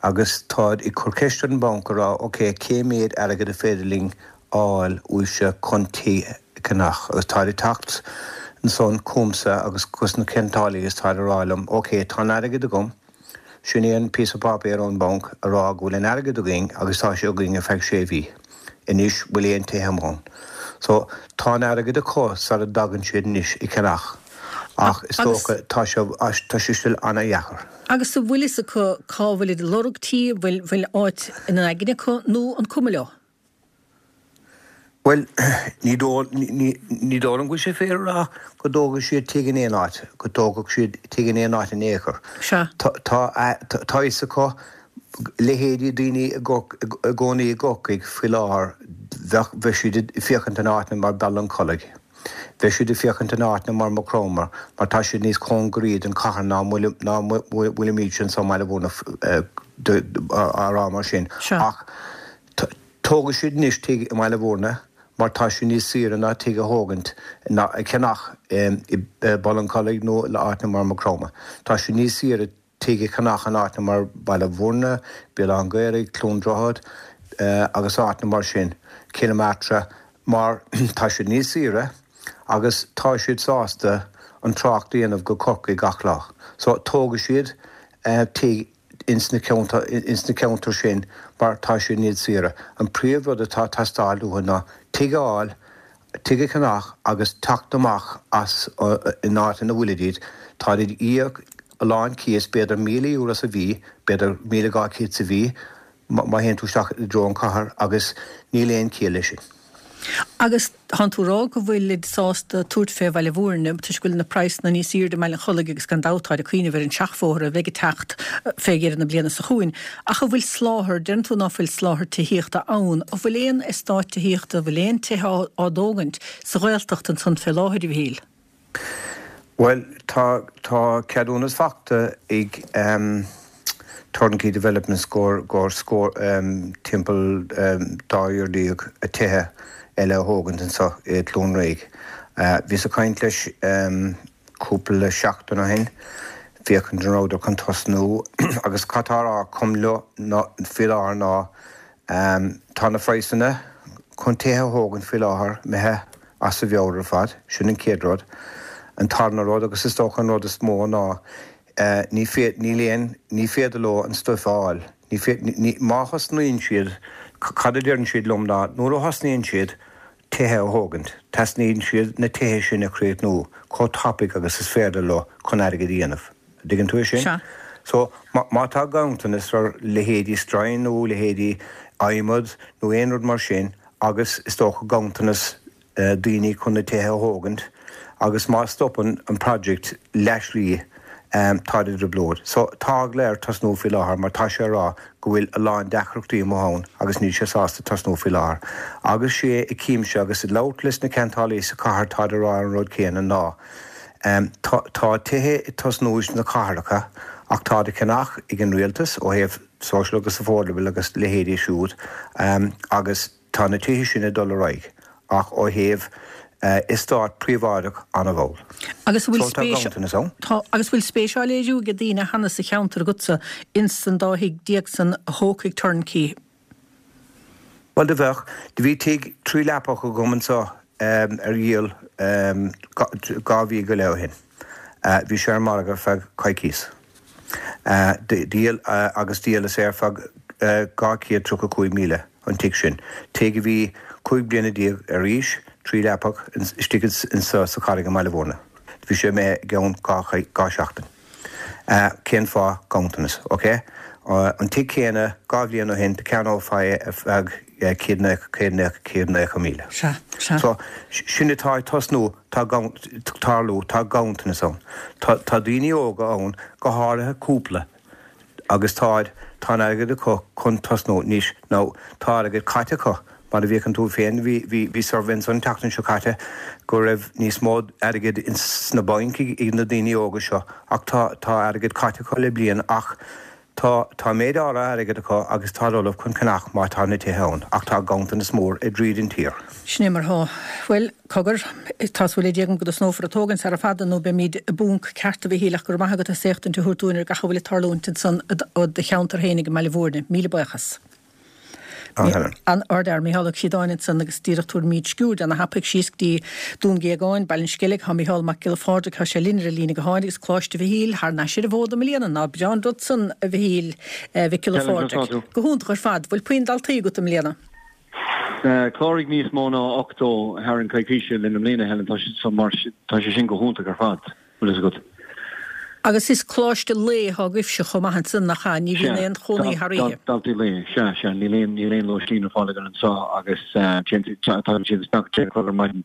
agus táid ag cur ceist ar an banc a rá ok cé mhéad airgead a féidir linn fháil uaibhse chun tigh a cheannach agus táid ag teacht ansan chugamsa agus chuig na ceantálaí agus táid ag rá liom ok tá an airgead agam, sin é an píosa páipéir ón banc a rá go bhfuil an airgead againn agus tá sé againn ar feadh sé mhí, anois bhfuil aon tithe amuigh ann. So tá an airgead acu sara dtagann siad anois ag ceannach ach is dócha tá sé tá sé still ana-dheacair. Agus an bhfuil fhios acu cá bhfuilid ag lorg tí, bhfuil bhfuil áit ina n-aigne acu nó an cuma leo? Bhuel, ní dóigh liom go bhfuil sé fíor a rá go dtógfaidh siad tigh in aon áit, go dtógfadh siad tigh in aon áit in aon chor. Sea. Tá a fhios acu, leithéidí daoine i gcónaí i gCorcaigh faoi láthair, bheadh, bheadh siad ag féachaint in áiteanna mar Baile an Chollaigh, bheadh siad ag féachaint in áiteanna mar Maigh Chromtha, mar tá siad níos cóngaraí don chathair ná ná bhfuilimid anseo i mBaile Bhúirne, á rá mar sin. Sea. Ach Tógfaidh siad anois tigh i mBaile Bhúirne mar tá sé níos saoire ná tigh a thógaint ná a cheannach i Baile an Chollaigh nó in áiteanna mar Maigh Chromtha. Tá sé níos saoire tigh a cheannach in áiteanna mar Baile Bhúirne, Béal Átha an Ghaorthaidh, Cluain Droichead agus áiteanna mar sin, Cill Martra, mar tá siad níos saoire agus tá siad sásta an trácht a dhéanamh go Corcaigh gach lá. So tógfaidh siad tigh ins na ins na ceantair sin mar tá siad níos saoire. An príomh rud atá ag teastáil uathu ná tigh a fháil, tigh a cheannach agus teacht amach as an áit ina bhfuilidid. Táid ag íoc a lán cíos, b'fhéidir míle euro sa mhí, b'fhéidir míle dhá chéad sa mhí má théann tú isteach i dtreo an chathair agus níl aon chiall leis sin. Agus tánn tú rá go bhfuilid sásta tabhairt fé Bhaile Mhúirne toisc go bhfuil na praghsanna níos airde i mBaile an Chollaigh agus gan dabht táid ag cuimhneamh ar an seachbhóthar a bheidh ag teacht fé dheireadh na bliana seo chugainn. Ach an bhfuil soláthar, deireann tú ná fuil soláthar tithíochta ann, an bhfuil aon eastát tithíochta, an bhfuil aon tithe á dtógaint sa Ghaeltacht ansan fé láthair, a Mhichíl? Bhuel, tá tá ceadúnas fachta ag um, Turnkey Developments gur gur scór um, timpeall um, dá dhéag déag tithe eile a thógaint anseo i gCluain Réidh. Uh, Bhíos ag caint leis um, cúpla seachtain ó shin, féachaint an rabhadar chun tosnú agus cad tá á rá leo faoi láthair ná um, tá na praghsanna chun tithe a thógaint faoi láthair imithe as a mheabhair ar fad, sin an chéad rud. An tarna rud agus is dócha an rud is mó ná uh, ní féad ní aon ní féidir leo an stuif a fháil. Ní féad ní má thosnaíonn siad cad a deireann siad liom ná nuair a thosnaíonn siad tithe a thógaint. Teastaíonn siad na tithe sin a chríochnú chomh tapaidh agus is féidir leo chun airgead a dhéanamh. Dtuigeann tú é sin? Sea. So má tá ganntanas ar leithéidí stroighin nó leithéidí adhmad nó aon rud mar sin agus is dócha ganntanas uh, daoine chun na tithe a thógaint, agus má stopann an project leathshlí um, tá i dtrioblóid. So tá eagla air tosnú faoi láthair mar tá sé rá go bhfuil a lán deacrachtaí ann agus níl sé sásta tosnú faoi láthair. Agus sé i cíimse agus i labhairt leis na ceantálaithe sa chathair tá rá an rud céanna ná. Um, tá, tá tithe ag tosnú sna cathracha ach tá á gceannach ag an rialtas ó thaobh social agus affordable agus leithéidí siúd um, agus tá na tithe sin ag dul ar aghaidh ach ó thaobh uh, eastát príobháideach an-mhall. Agus bhfuil So tá spéis ganntanas ann. Tá agus bhfuil spéis á léiriú ag daoine cheana sa cheantar agatsa ins an dá thigh déag san a thógfaidh Turnkey. Well do bheadh, do bhí tigh trí leapach agam anseo um, ar dhíol um, dhá mhí go leith ó shin. Uh, bhí sé ar margadh feadh coicís. Uh, díol uh, agus dhíolas é ar feadh uh, dhá chéad tríocha cúig míle an tigh sin. Tigh a bhí cúig bliana déag ar aois, trí leapach istigh insa sa chathair i mBaile Mhúirne. Bhí sé mé gceann dhá seachtain. Uh, cén fáth ganntanas, ok? Uh, an tigh céanna dhá bhliain ó shin cheannófaí ar feadh céad céad nócha míle. Sea, sea. So sin atá ag tosnú tá tarlú tá ganntanas ann. Tá tá daoine óga ann go háirithe cúpla agus tá tá airgead acu chun tosnú níos nó tá airgead caite acu mar a bhí an tú féin bhí bhí bhí survey an tseachtain seo caite go raibh níos mó airgead sna bainc ag na daoine óga seo ach tá tá airgead caite acu le bliain ach tá tá méid áirithe airgead acu agus tá ullamh chun ceannach má tá na tithe ann ach tá ganntanas mór i dtríd an tír. Sin é mar thá. Bhuel, cogar, tá súil agam go dtosnófar ag tógaint sara fada nó beimid i bponc ceart a Mhichíl ach go raibh maith agat as éachtaint a thabhairt dúinn ar gach a bhfuil ag tarlúint ansan ó do cheantar féinig i mBaile Mhúirne. Míle buíochas. Helen. An Ardfhear Micheál Ó Ciodáin ansan agus díreach tabharfaimid sciuird ana-thapaidh síos go dtí Dún Géagáin, Baile an Sceilg, tá Micheál Mac Giolla Phádraig, tá sé linn ar an líne gutháin agus Coláiste Mhichíl thar n-ais ar an bhfód i mbliana ná breá an rud san a Mhichíl Mhic Giolla Phádraig. Go hiontach ar fad, bhfuil puinn daltaí agat i mbliana. Chláraigh níos mó ná ochtó thar an coicíse linn i mbliana Helen tá sé mar tá sé sin go hiontach ar fad. Bhfuil agat. Agus is coláiste lae atá agaibhse chomh maith ansan nach ea, ní bhíonn aon chónaí thar oíche. Daltaí lae, sea, sea, níl aon níl aon lóistín ar fáil againn anseo agus tagann siad isteach deich a chlog ar maidin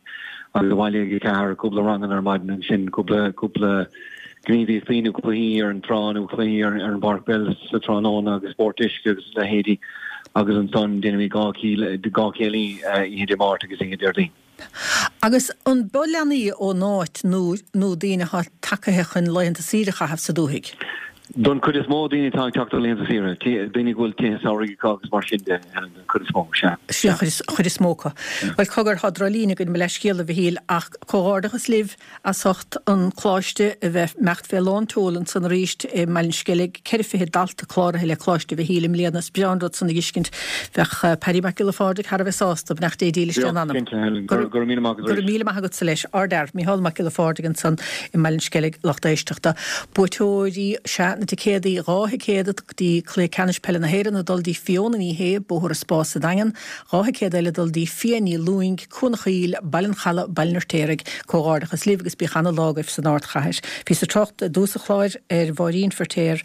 agus abhaile ag a ceathair cúpla ranganna ar maidin ansin cúpla cúpla gníomhaíochtaí nó cluichí ar an trá nó cluichí ar ar an bpáirc peile sa tráthnóna agus spórt uisce agus leithéidí agus ansan déanaimid dhá dhá chéilí oíche Dé Máirt agus oíche Déardaoin. Agus an b'eo leanaí ón áit nó nó daoine atá tagaithe chun laethanta saoire a chaitheamh sa dúthaigh? Don chuid is mó daoine atá ag teacht ar laethanta saoire, daoine go bhfuil tithe samhraidh acu agus mar sin de, Helen, don chuid is mó, sea. Sin an chuid is mó acu. Bhuel, cogar, tá droch-líne againn mo leithscéal a Mhichíl ach comhghairdeachas libh as ucht an coláiste a bheith imeacht fé lán tseoil ansan arís i mBaile an Sceilg, ceithre fiche dalta cláraithe le Coláiste Mhichíl i mbliana. Is breá an rud san a fheiscint. Bheadh Paddy Mac Giolla Phádraig thar a bheith sásta, beannacht Dé dílis dá anam. Cinnte, Helen. Go raibh míle maith agat Go raibh míle maith agatsa leis. Ardfhear, Micheál Mac Giolla Phádraig ansan i mBaile an Sceilg, lucht éisteachta. Buaiteoirí sea maith, na ticéadaí, dhá thicéad go dtí Cluiche Ceannais Peile na hÉireann ag dul dtí Fiona Ní Shé, Bóthar an Spá sa Daingean, dhá thicéad eile ag dul dtí Fia Ní Lúing, Cuan an Choill, Baile an Chalaidh, Baile an Fheirtéaraigh. Comhghairdeachas libh agus bíodh ana-lá agaibh san ardchathair. Bhíos ag trácht i dtús an chláir ar Mháirín Feirtéar,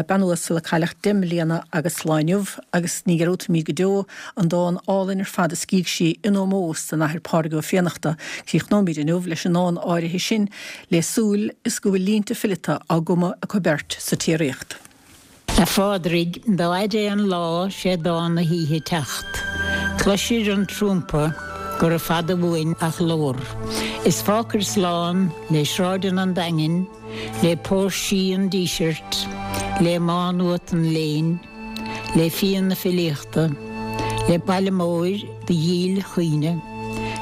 bean uasal a cailleadh deich mbliana agus lá inniu agus ní dhearúdfaimid go deo an dán álainn ar fad a scrígh sí in ómós don Athair Pádraig Ó Fiannachta. Críochnóimid inniu leis an ndán áirithe sin le súil is go bhfuil línte fileata á gcumadh acu beirt sa tsíoraíocht. A Phádraig, dá fhaide é an lá, sé dán na hoíche teacht. Cloisir an trumpa gura fada uainn a ghlór. Is fágfair slán le sráideanna an Daingin, le póirsí an Dísirt, le Má Nuat an léinn, le fíon na filíochta, le baile móir do dhíl chuimhne,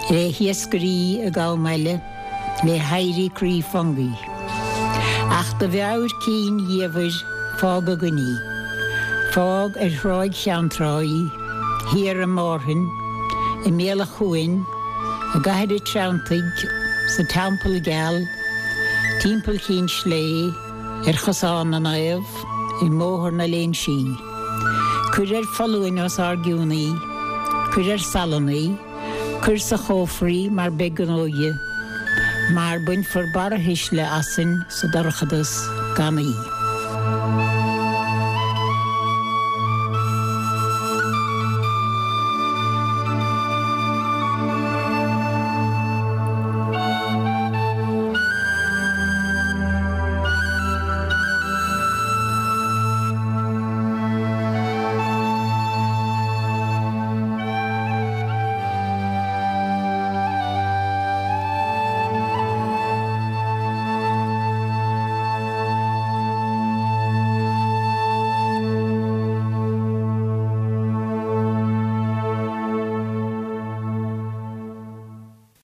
le hiascairí ag am eile, le héirí croí Fungie. Ach do mheabhair cinn dhiamhair fág againn í. Fág ar Thráigh Cheanntrá í, thiar i Márthain, i mbéal an chuain, i gCathair an Treanntaigh, sa Teampall Geal, timpeall Chinn Slé, ar Chosán na Naomh, i mBóthar na Léinsí. Cuir ar foluain os ár gcionn í, cuir ar salann í, cuir sa chófra í mar beidh gnó dhi, mar bainfear barrathuisle asainn sa dorchadas gan í.